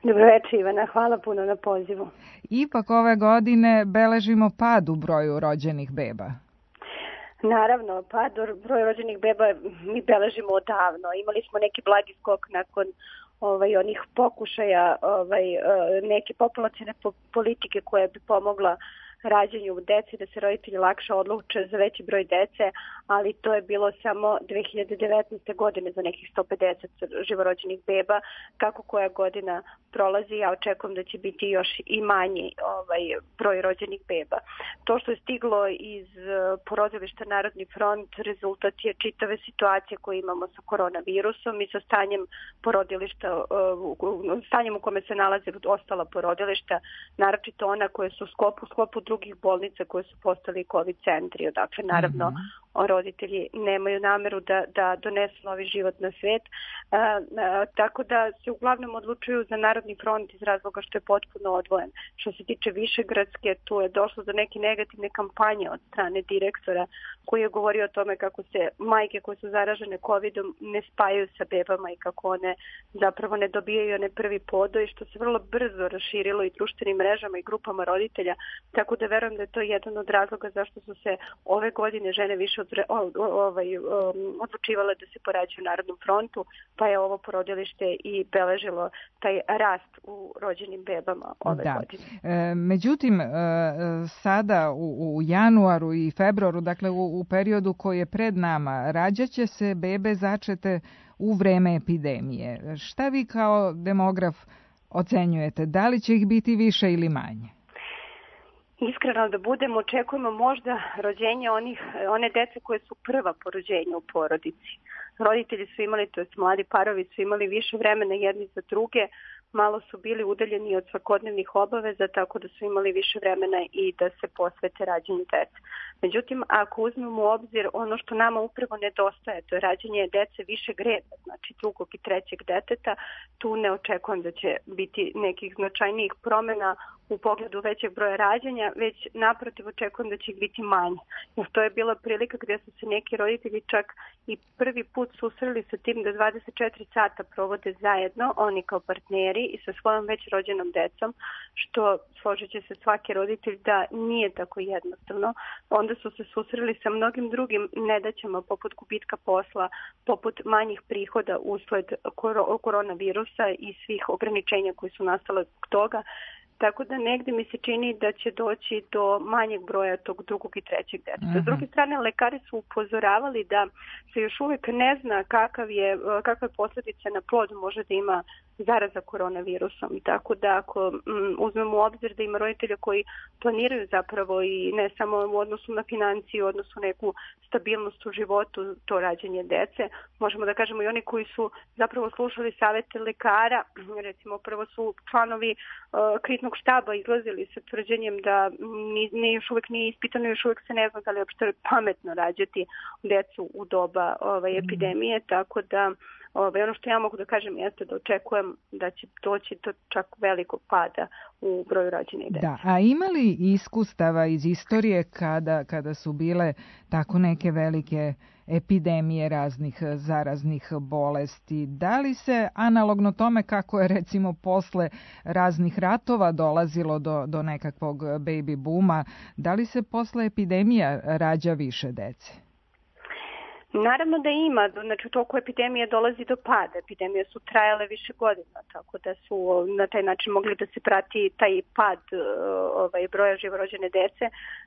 Dobroveče, Ivana, hvala puno na pozivu. Ipak ove godine beležimo pad u broju rođenih beba. Naravno, pad u broju rođenih beba mi beležimo odavno. Imali smo neki blagi skok nakon ovaj, onih pokušaja ovaj, neke populacione politike koja bi pomogla rađanju dece, da se roditelji lakše odluče za veći broj dece, ali to je bilo samo dve hiljade devetnaeste. godine za nekih sto pedeset živorođenih beba. Kako koja godina prolazi, ja očekujem da će biti još i manji ovaj, broj rođenih beba. To što je stiglo iz porodilišta Narodni front rezultat je čitave situacije koje imamo sa koronavirusom i sa stanjem porodilišta, stanjem u kome se nalaze ostala porodilišta, naročito ona koje su u sklopu, sklopu drugih bolnica koje su postali COVID centri. Dakle, naravno, mm-hmm. roditelji nemaju nameru da, da donesu novi život na svet. A, a, tako da se uglavnom odlučuju za Narodni front iz razloga što je potpuno odvojen. Što se tiče Višegradske, tu je došlo do neke negativne kampanje od strane direktora koji je govorio o tome kako se majke koje su zaražene kovidom ne spajaju sa bebama i kako one zapravo ne dobijaju onaj prvi podoj, što se vrlo brzo raširilo i društvenim mrežama i grupama roditelja, tako da verujem da je to jedan od razloga zašto su se ove godine žene više odre, ovaj, um, odlučivale da se porađaju u Narodnom frontu, pa je ovo porodilište i beležilo taj rast u rođenim bebama ove da. godine. E, međutim, e, sada u, u januaru i februaru, dakle u, u periodu koji je pred nama, rađaće se bebe začete u vreme epidemije. Šta vi kao demograf ocenjujete? Da li će ih biti više ili manje? Iskreno da budemo, očekujemo možda rođenje onih, one dece koje su prva po rođenju u porodici. Roditelji su imali, to jest mladi parovi su imali više vremena jedni za druge, malo su bili udaljeni od svakodnevnih obaveza, tako da su imali više vremena i da se posvete rađenju dece. Međutim, ako uzmemo u obzir ono što nama upravo nedostaje, to je rađenje dece višeg reda, znači drugog i trećeg deteta, tu ne očekujem da će biti nekih značajnijih promjena u pogledu većeg broja rađanja, već naprotiv očekujem da će ih biti manje. Jer to je bila prilika gdje su se neki roditelji čak i prvi put susreli sa tim da dvadeset četiri sata provode zajedno, oni kao partneri i sa svojom već rođenom decom, što složit će se svaki roditelj da nije tako jednostavno. Onda su se susreli sa mnogim drugim nedaćama poput gubitka posla, poput manjih prihoda usled koronavirusa i svih ograničenja koji su nastale zbog toga. Tako da negdje mi se čini da će doći do manjeg broja tog drugog i trećeg deteta. S druge strane, lekari su upozoravali da se još uvijek ne zna kakav je, kakve posljedice na plod može da ima zaraza koronavirusom. Tako da ako mm, uzmemo u obzir da ima roditelja koji planiraju zapravo i ne samo u odnosu na financiju, u odnosu na neku stabilnost u životu, to rađenje dece, možemo da kažemo i oni koji su zapravo slušali savete lekara, recimo prvo su članovi uh, kriznog štaba izlazili sa tvrđenjem da ni, ni još uvijek nije ispitano, još uvijek se ne zna da li je uopšte pametno rađati decu u doba ovaj, epidemije, tako da Ove, ono što ja mogu da kažem jeste da očekujem da će doći do čak velikog pada u broju rođenih dece. Da, a ima li iskustava iz istorije kada, kada su bile tako neke velike epidemije raznih zaraznih bolesti? Da li se analogno tome kako je recimo posle raznih ratova dolazilo do, do nekakvog baby booma, da li se posle epidemija rađa više dece? Naravno da ima, znači u toku epidemije dolazi do pada. Epidemije su trajale više godina, tako da su na taj način mogli da se prati taj pad ovaj, broja živorođene dece.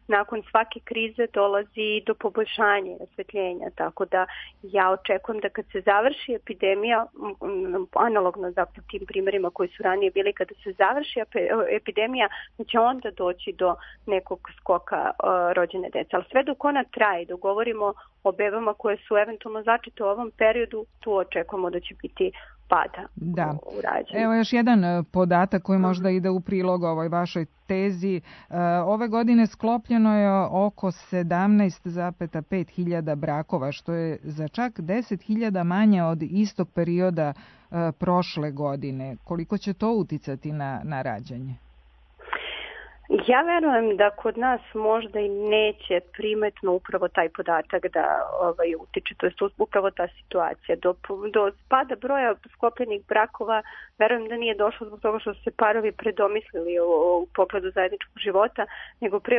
Nakon svake krize dolazi do poboljšanja i osvetljenja, tako da ja očekujem da kad se završi epidemija, analogno za tim primjerima koji su ranije bili, kada se završi epidemija, da će onda doći do nekog skoka uh, rođene dece. Ali sve dok ona traje, dok govorimo o bebama koje su eventualno začete u ovom periodu, tu očekujemo da će biti pada da. u, u rađenju. Evo još jedan podatak koji možda ide u prilog ovoj vašoj tezi. Ove godine sklopljeno je oko sedamnaest zarez pet hiljada brakova, što je za čak deset hiljada manje od istog perioda prošle godine. Koliko će to uticati na, na rađanje? Ja verujem da kod nas možda i neće primetno upravo taj podatak da ovaj, utiče, to je upravo ta situacija. Do, do pada broja sklopljenih brakova verujem da nije došlo zbog toga što su se parovi predomislili u, u pogledu zajedničkog života, nego pre,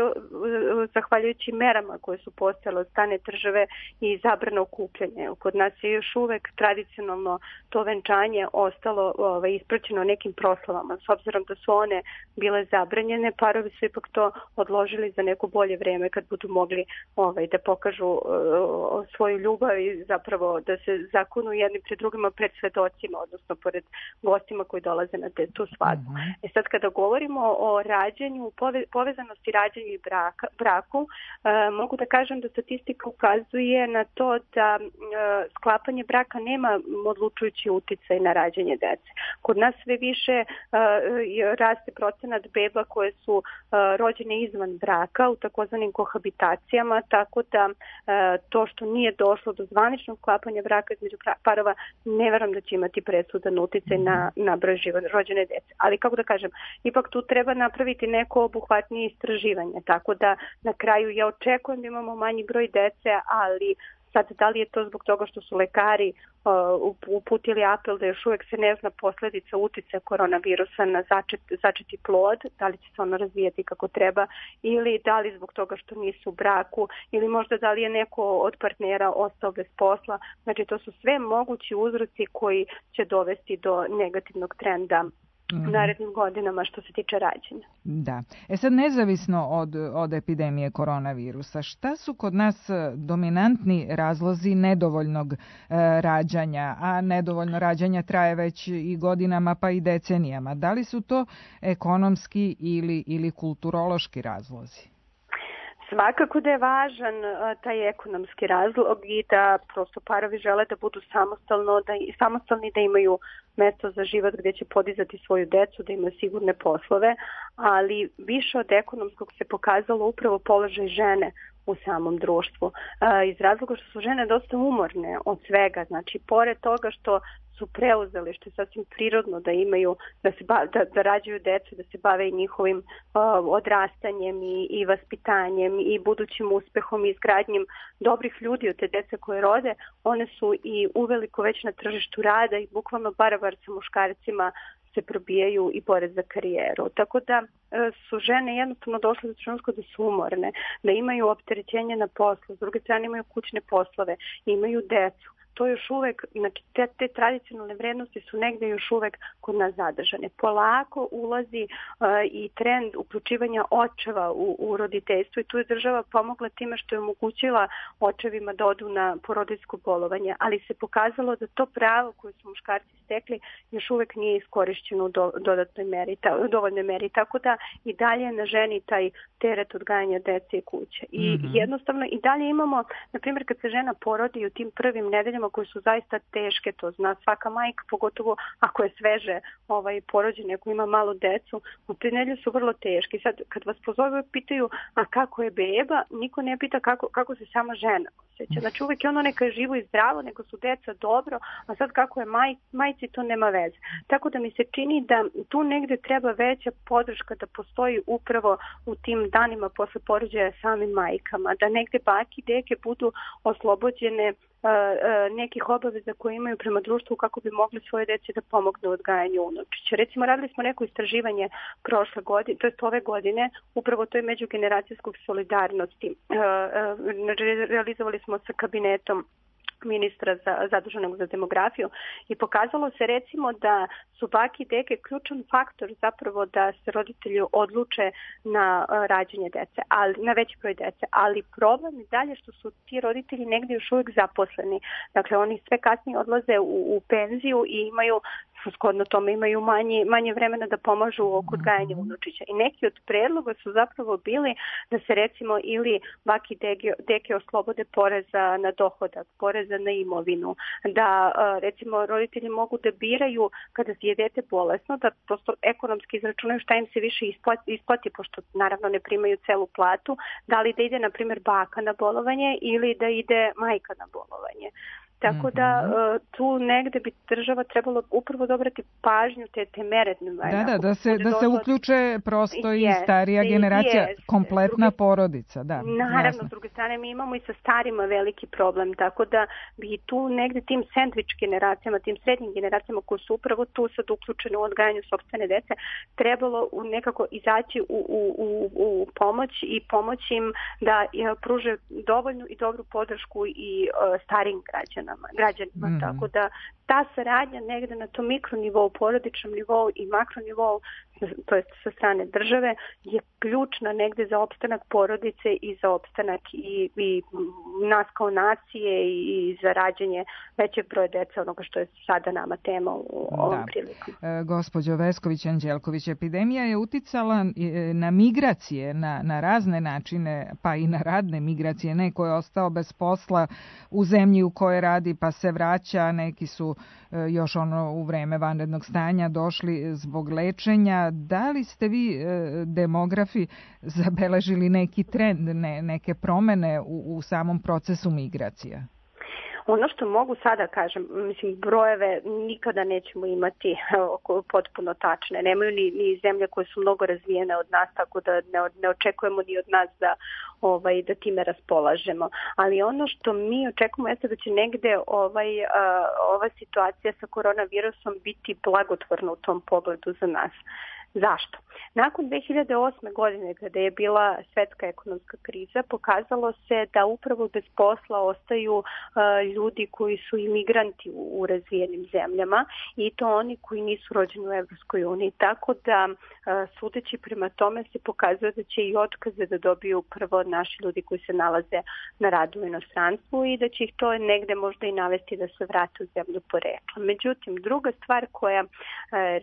zahvaljujući merama koje su postojale od strane države i zabrano okupljanje. Kod nas je još uvek tradicionalno to venčanje ostalo ovaj, ispraćeno nekim proslavama, s obzirom da su one bile zabranjene, parovi su ipak to odložili za neko bolje vrijeme kad budu mogli ovaj, da pokažu uh, svoju ljubav i zapravo da se zakunu jedni pred drugima pred svedocima, odnosno pored gostima koji dolaze na te, tu svadbu. Mm-hmm. E sad kada govorimo o rađanju, pove, povezanosti rađanju i braka, braku, uh, mogu da kažem da statistika ukazuje na to da uh, sklapanje braka nema odlučujući uticaj na rađanje dece. Kod nas sve više uh, raste procenat beba koje su rođene izvan braka u takozvanim kohabitacijama, tako da to što nije došlo do zvaničnog sklapanja braka između parova, ne verujem da će imati presudan uticaj na, na broj život rođene dece. Ali kako da kažem, ipak tu treba napraviti neko obuhvatnije istraživanje, tako da na kraju ja očekujem da imamo manji broj dece, ali sad, da li je to zbog toga što su lekari uh, uputili apel da još uvek se ne zna posledica uticaja koronavirusa na začet, začeti plod, da li će se ono razvijati kako treba, ili da li zbog toga što nisu u braku, ili možda da li je neko od partnera ostao bez posla. Znači, to su sve mogući uzroci koji će dovesti do negativnog trenda u narednim godinama što se tiče rađanja. Da. E sad, nezavisno od, od epidemije koronavirusa, šta su kod nas dominantni razlozi nedovoljnog e, rađanja, a nedovoljno rađanja traje već i godinama pa i decenijama? Da li su to ekonomski ili, ili kulturološki razlozi? Svakako da je važan taj ekonomski razlog i da prosto parovi žele da budu samostalno, da, samostalni, da imaju mesto za život gdje će podizati svoju decu, da imaju sigurne poslove, ali više od ekonomskog se pokazalo upravo položaj žene u samom društvu. Iz razloga što su žene dosta umorne od svega, znači pored toga što su preuzeli, što je sasvim prirodno da imaju, da se ba, da, da rađaju decu, da se bave i njihovim uh, odrastanjem i, i vaspitanjem i budućim uspehom i izgradnjom dobrih ljudi od te dece koje rode, one su i uveliko već na tržištu rada i bukvalno barabar sa muškarcima se probijaju i bore za karijeru. Tako da su žene jednostavno došle do trenutka da su umorne, da imaju opterećenje na poslu, s druge strane imaju kućne poslove, imaju decu. To još uvek, znači te, te tradicionalne vrednosti su negde još uvek kod nas zadržane. Polako ulazi uh, i trend uključivanja očeva u, u roditeljstvo i tu je država pomogla time što je omogućila očevima da odu na porodiljsko bolovanje, ali se pokazalo da to pravo koje su muškarci stekli još uvek nije iskorišćeno u do, dodatnoj meri, ta, u dovoljnoj meri, tako da i dalje je na ženi taj teret odgajanja dece i kuće. I mm-hmm. jednostavno i dalje imamo, na primjer kad se žena porodi u tim prvim nedeljama koje su zaista teške, to zna svaka majka, pogotovo ako je sveže ovaj, porođena, ako ima malu decu, u te nedelje su vrlo teške. Sad, kad vas pozove, pitaju, a kako je beba, niko ne pita kako, kako se sama žena osjeća. Znači, uvek je ono neka je živo i zdravo, neko su deca dobro, a sad kako je maj, majci, to nema veze. Tako da mi se čini da tu negde treba veća podrška da postoji upravo u tim danima posle porođaja samim majkama, da negde baki i deke budu oslobođene nekih obaveza koje imaju prema društvu kako bi mogli svoje deci da pomognu u odgajanju unučića. Recimo, radili smo neko istraživanje prošle godine, to jest ove godine, upravo toj međugeneracijskog solidarnosti. Realizovali smo sa kabinetom ministra za, zaduženog za demografiju i pokazalo se recimo da su bake i deke ključan faktor zapravo da se roditelji odluče na uh, rađanje dece, ali na veći broj dece, ali problem je dalje što su ti roditelji negdje još uvijek zaposleni. Dakle, oni sve kasnije odlaze u, u penziju i imaju shodno tome imaju manje, manje vremena da pomažu oko odgajanja unučića. I neki od predloga su zapravo bili da se recimo ili baki deke, deke oslobode poreza na dohodak, poreza na imovinu, da recimo roditelji mogu da biraju kada je dete bolesno, da prosto ekonomski izračunaju šta im se više isplati, isplati pošto naravno ne primaju celu platu, da li da ide na primjer baka na bolovanje ili da ide majka na bolovanje. Tako da tu negde bi država trebalo upravo dobrati pažnju te, te mere. Da, da, da se, da se uključe prosto i starija generacija, kompletna druge, porodica. Da, naravno, jasno. S druge strane mi imamo i sa starima veliki problem, tako da bi tu negde tim sendvič generacijama, tim srednjim generacijama koji su upravo tu sad uključene u odgajanju sopstvene dece, trebalo nekako izaći u, u, u, u pomoć i pomoći im da pruže dovoljnu i dobru podršku i uh, starijim građanima. građanima, mm-hmm. tako da ta saradnja negde na tom mikronivou, porodičnom nivou i makronivou, to jest sa strane države, je ključna negde za opstanak porodice i za opstanak i, i nas kao nacije i za rađanje većeg broja dece, onoga što je sada nama tema u ovom da. priliku. E, gospođo Vesković-Anđelković, epidemija je uticala na migracije, na, na razne načine, pa i na radne migracije. Neko je ostao bez posla u zemlji u kojoj radi, pa se vraća, neki su još ono u vreme vanrednog stanja došli zbog lečenja. da li ste vi demografi zabeležili neki trend, ne, neke promene u, u samom procesu migracija? Ono što mogu sada kažem, mislim, brojeve nikada nećemo imati potpuno tačne. Nemaju ni, ni zemlje koje su mnogo razvijene od nas, tako da ne, ne očekujemo ni od nas da, ovaj, da time raspolažemo. Ali ono što mi očekujemo jeste da će negde ovaj, a, ova situacija sa koronavirusom biti blagotvorna u tom pogledu za nas. Zašto? Nakon dve hiljade osme. godine, kada je bila svetska ekonomska kriza, pokazalo se da upravo bez posla ostaju uh, ljudi koji su imigranti u, u razvijenim zemljama i to oni koji nisu rođeni u Evropskoj uniji. Tako da, uh, sudeći prema tome, se pokazuje da će i otkaze da dobiju prvo naši ljudi koji se nalaze na radu u inostranstvu i da će ih to negde možda i navesti da se vrate u zemlju porekla. Međutim, druga stvar koja uh,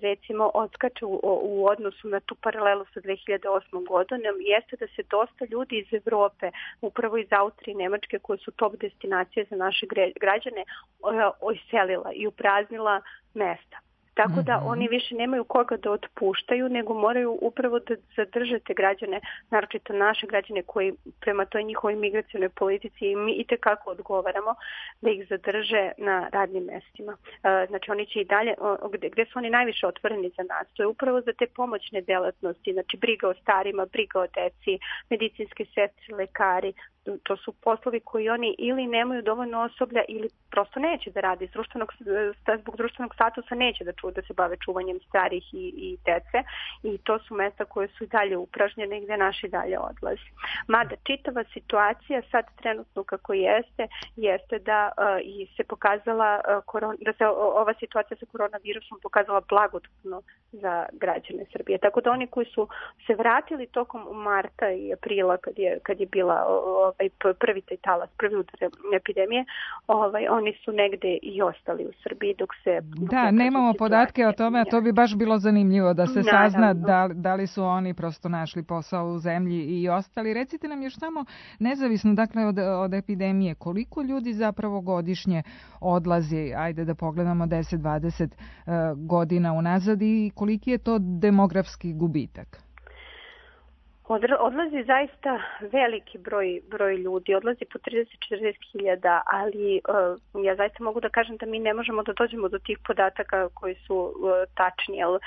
recimo odskače u, u u odnosu na tu paralelu sa dve hiljade osmom. godinom jeste da se dosta ljudi iz Evrope, upravo iz Austrije i Nemačke, koje su top destinacije za naše građane, iselila i upraznila mesta. Tako da oni više nemaju koga da otpuštaju, nego moraju upravo da zadrže te građane, naročito naše građane koji prema toj njihovoj migracionoj politici i mi itekako odgovaramo, da ih zadrže na radnim mestima. Znači oni će i dalje, gde, gde su oni najviše otvoreni za nas, to je upravo za te pomoćne delatnosti, znači briga o starima, briga o deci, medicinske sestre, lekari. To su poslovi koji oni ili nemaju dovoljno osoblja ili prosto neće da radi. Društvenog, zbog društvenog statusa neće da, ču, da se bave čuvanjem starih i, i dece i to su mesta koje su i dalje upražnjene i gde naši dalje odlaze. Mada čitava situacija sad trenutno kako jeste, jeste da uh, i se pokazala uh, koron, da se ova situacija sa koronavirusom pokazala blagotvorno za građane Srbije. Tako da oni koji su se vratili tokom marta i aprila kad je, kad je bila ovaj, prvi taj talas, prvi udar epidemije, ovaj, oni su negde i ostali u Srbiji dok se... Dok da, nemamo podatke o tome, a to bi baš bilo zanimljivo da se Naravno. sazna da, da li su oni prosto našli posao u zemlji i ostali. Recite nam još samo nezavisno dakle od, od epidemije, koliko ljudi zapravo godišnje odlazi, ajde da pogledamo deset do dvadeset uh, godina unazad i koliki je to demografski gubitak? Odlazi zaista veliki broj, broj ljudi, odlazi po trideset do četrdeset hiljada, ali uh, ja zaista mogu da kažem da mi ne možemo da dođemo do tih podataka koji su uh, tačni, jer uh,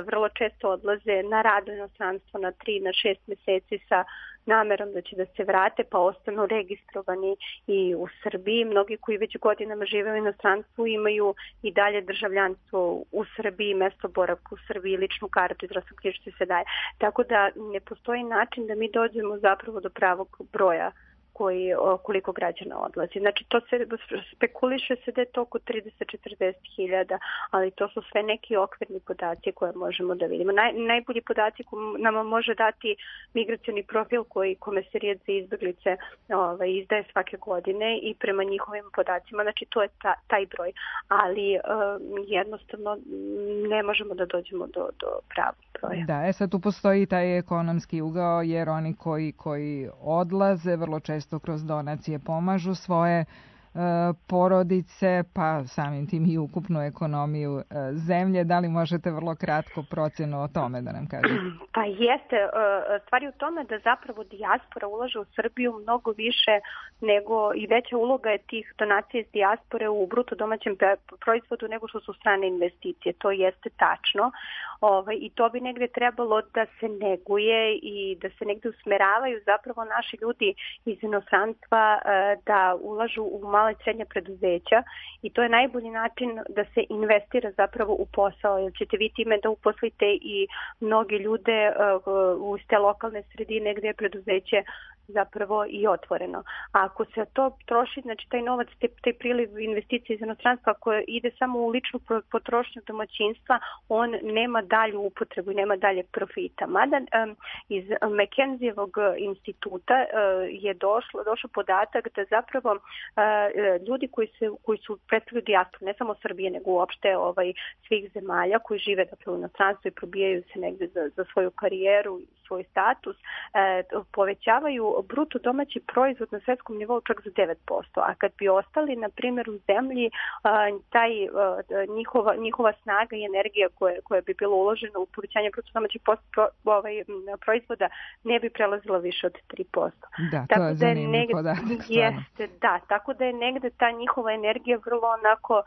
vrlo često odlaze na rad u inostranstvo na tri, na šest meseci sa namerom da će da se vrate pa ostanu registrovani i u Srbiji. Mnogi koji već godinama žive u inostranstvu imaju i dalje državljanstvo u Srbiji, mesto boravka u Srbiji, ličnu kartu i zdravstvenu knjižicu se daje. Tako da ne postoji način da mi dođemo zapravo do pravog broja koji, koliko građana odlazi. Znači, to se spekuliše se da je to oko trideset do četrdeset hiljada, ali to su sve neki okvirni podaci koje možemo da vidimo. Naj, najbolji podaci koji nam može dati migracioni profil koji Komesarijat za izbeglice ovaj, izdaje svake godine i prema njihovim podacima, znači to je ta, taj broj, ali um, jednostavno ne možemo da dođemo do, do pravog broja. Da, e sad tu postoji taj ekonomski ugao, jer oni koji, koji odlaze vrlo često kroz donacije pomažu svoje e, porodice, pa samim tim i ukupnu ekonomiju e, zemlje. Da li možete vrlo kratko procenu o tome da nam kažete? Pa jeste. E, stvar je u tome da zapravo dijaspora ulaže u Srbiju mnogo više nego i veća uloga je tih donacija iz dijaspore u bruto domaćem proizvodu nego što su strane investicije. To jeste tačno. Ovaj, i to bi negde trebalo da se neguje i da se negde usmeravaju zapravo naši ljudi iz inostranstva da ulažu u mala i srednja preduzeća i to je najbolji način da se investira zapravo u posao, jer ćete vi time da uposlite i mnogi ljude u te lokalne sredine gde je preduzeće zapravo i otvoreno. A ako se to troši, znači taj novac, te, te priliv investicije iz inostranstva koje ide samo u ličnu potrošnju domaćinstva, on nema dalju upotrebu i nema daljeg profita. Mada um, iz McKenzievog instituta uh, je došlo, došao podatak da zapravo uh, ljudi koji, se, koji su predstavljaju dijasporu, ne samo Srbije, nego uopšte ovaj, svih zemalja koji žive dakle, u inostranstvu i probijaju se negde za, za svoju karijeru, svoj status, povećavaju bruto domaći proizvod na svetskom nivou čak za devet posto, a kad bi ostali, na primjer, u zemlji, taj njihova, njihova snaga i energija koja, koja bi bila uložena u povećanje bruto domaćih ovaj, proizvoda ne bi prelazila više od tri posto. Da, to je zanimljiv podatak. Jeste, da, tako da je negde ta njihova energija vrlo onako uh,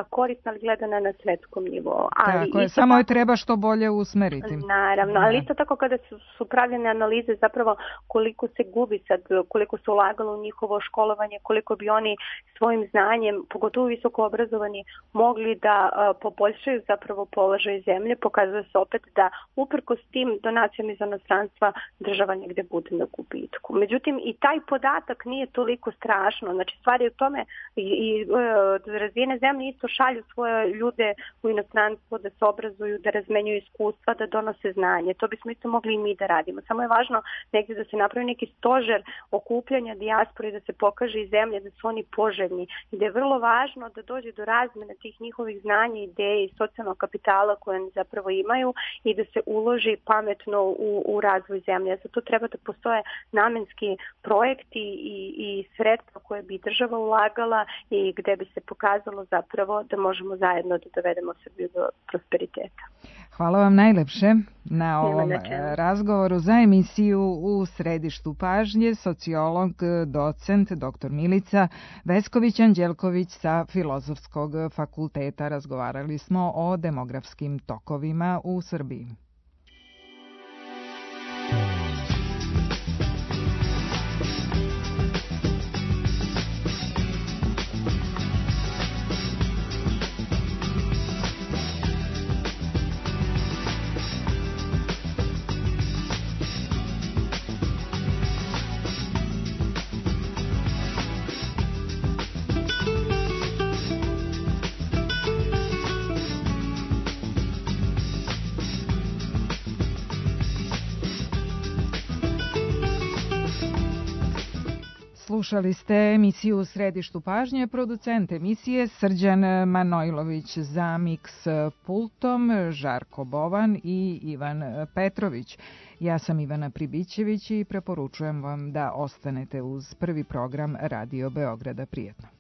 korisna gledana na svetskom nivou. Ali tako je, samo je treba što bolje usmeriti. Naravno, ali isto tako kada su, su pravljene analize zapravo koliko se gubi sad, koliko se ulagalo u njihovo školovanje, koliko bi oni svojim znanjem, pogotovo visoko obrazovani, mogli da uh, poboljšaju zapravo položaj zemlje, pokazuje se opet da uprkos tim donacijama iz inostranstva država negde bude na gubitku. Međutim, i taj podatak nije toliko strašno. Znači, stvar je u tome i, i e, razvijene zemlje isto šalju svoje ljude u inostranstvo da se obrazuju, da razmenjuju iskustva, da donose znanje. To bismo isto mogli i mi da radimo. Samo je važno negdje da se napravi neki stožer okupljanja dijaspore, da se pokaže i zemlje da su oni poželjni i da je vrlo važno da dođe do razmene tih njihovih znanja, ideje i socijalnog kapitala koje oni zapravo imaju i da se uloži pametno u, u razvoj zemlje. Zato treba da postoje namenski projekti i, i sredstva koje bi država ulagala i gde bi se pokazalo zapravo da možemo zajedno da dovedemo Srbiju do prosperiteta. Hvala vam najlepše na ovom razgovoru. Za emisiju U središtu pažnje sociolog, docent doktor Milica Vesković-Anđelković sa Filozofskog fakulteta. Razgovarali smo o demografskim tokovima u Srbiji. Slušali ste emisiju U središtu pažnje, producent emisije Srđan Manojlović, za miks pultom Žarko Bovan i Ivan Petrović. Ja sam Ivana Pribićević i preporučujem vam da ostanete uz prvi program Radio Beograda. Prijetno.